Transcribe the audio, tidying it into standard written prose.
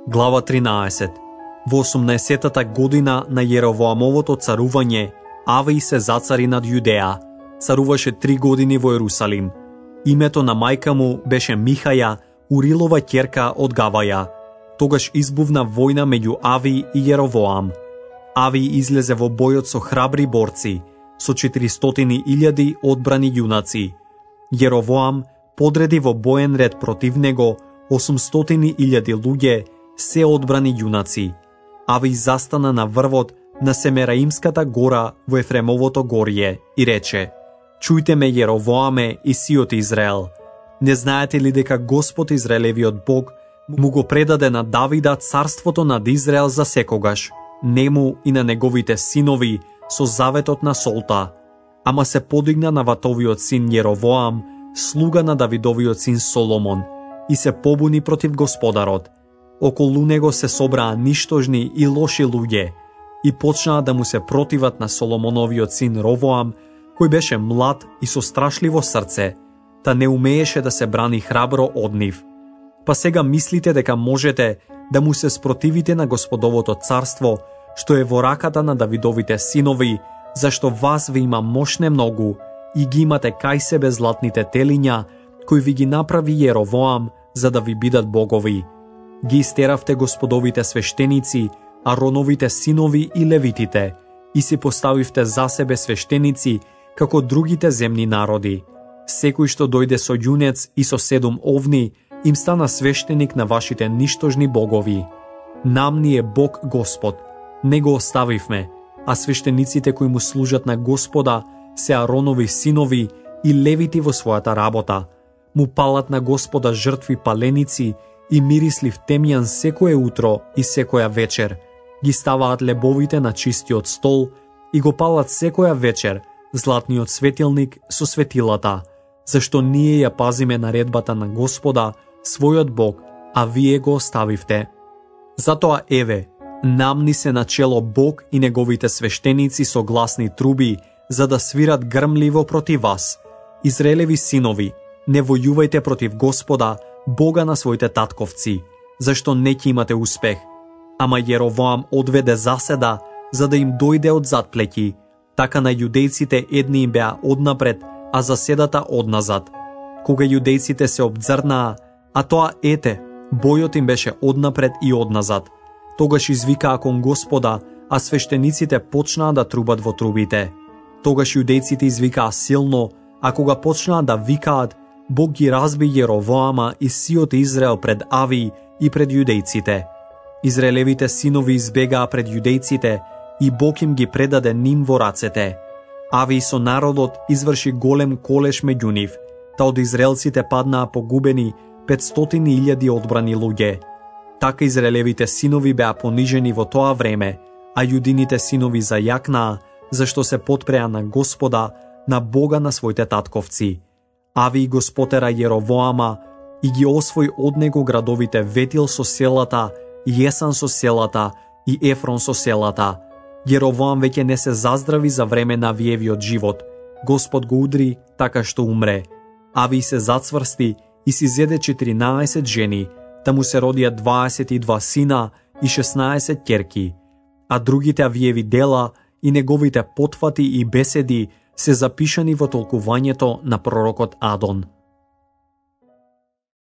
Глава 13. Во 18-та година на Јеровоамовото царување, Авија се зацари над Јудеја. Царуваше 3 години во Ерусалим. Името на мајка му беше Михаја, Урилова ќерка од Гаваја. Тогаш избувна војна меѓу Авија и Јеровоам. Авија излезе во бојот со храбри борци, со 400.000 одбрани јунаци. Јеровоам подреди во боен ред против него 800.000 луѓе, се одбрани јунаци. Авија застана на врвот на Семераимската гора во Ефремовото горје и рече: Чујте ме, Јеровоаме и сиот Израел. Не знаете ли дека Господ Израелевиот Бог му го предаде на Давида царството над Израел за секогаш, нему и на неговите синови со заветот на солта. Ама се подигна на ватовиот син Јеровоам, слуга на Давидовиот син Соломон, и се побуни против Господарот. Околу него се собраа ништожни и лоши луѓе и почнаа да му се противат на Соломоновиот син Ровоам, кој беше млад и со страшливо срце, та не умееше да се брани храбро од нив. Па сега мислите дека можете да му се спротивите на Господовото царство, што е во раката на Давидовите синови, зашто вас ви има мошне многу и ги имате кај себе златните телиња, кои ви ги направи Јеровоам, за да ви бидат богови. Ги истеравте Господовите свештеници, Ароновите синови и левитите, и си поставивте за себе свештеници, како другите земни народи. Секој што дојде со јунец и со 7 овни, им стана свештеник на вашите ништожни богови. Нам ни е Бог Господ, не го оставивме, а свештениците кои му служат на Господа се Аронови синови и левити во својата работа. Му палат на Господа жртви паленици и мирислив темјан секое утро и секоја вечер. Ги ставаат лебовите на чистиот стол и го палат секоја вечер златниот светилник со светилата, зашто ние ја пазиме наредбата на Господа, својот Бог, а вие го оставивте. Затоа еве, нам ни се начело Бог и неговите свештеници со гласни труби, за да свират грмливо против вас. Израелеви синови, не војувајте против Господа, Бога на своите татковци, зашто не ќе имате успех. Ама Јеровоам одведе заседа, за да им дојде од задплеќи. Така на јудејците едни им беа однапред, а заседата одназад. Кога јудејците се обдзрнаа, а тоа ете, бојот им беше однапред и одназад. Тогаш извикаа кон Господа, а свештениците почнаа да трубат во трубите. Тогаш јудејците извикаа силно, а кога почнаа да викаат, Бог ги разби Јеровоама и сиот Израел пред Авија и пред јудејците. Израелевите синови избегаа пред јудејците и Бог им ги предаде ним во рацете. Авија со народот изврши голем колеш меѓу нив, та од израелците паднаа погубени 500.000 одбрани луѓе. Така израелевите синови беа понижени во тоа време, а јудините синови зајакнаа, зашто се потпреа на Господа, на Бога на своите татковци. Авија го спотера Јеровоама и ги освои од него градовите Ветил со селата, Јесан со селата и Ефрон со селата. Јеровоам веќе не се заздрави за време на Авиевиот живот. Господ го удри така што умре. Авија се зацврсти и си зеде 14 жени, та му се родија 22 сина и 16 ќерки. А другите Авиеви дела и неговите потфати и беседи се запишани во толкувањето на пророкот Адон.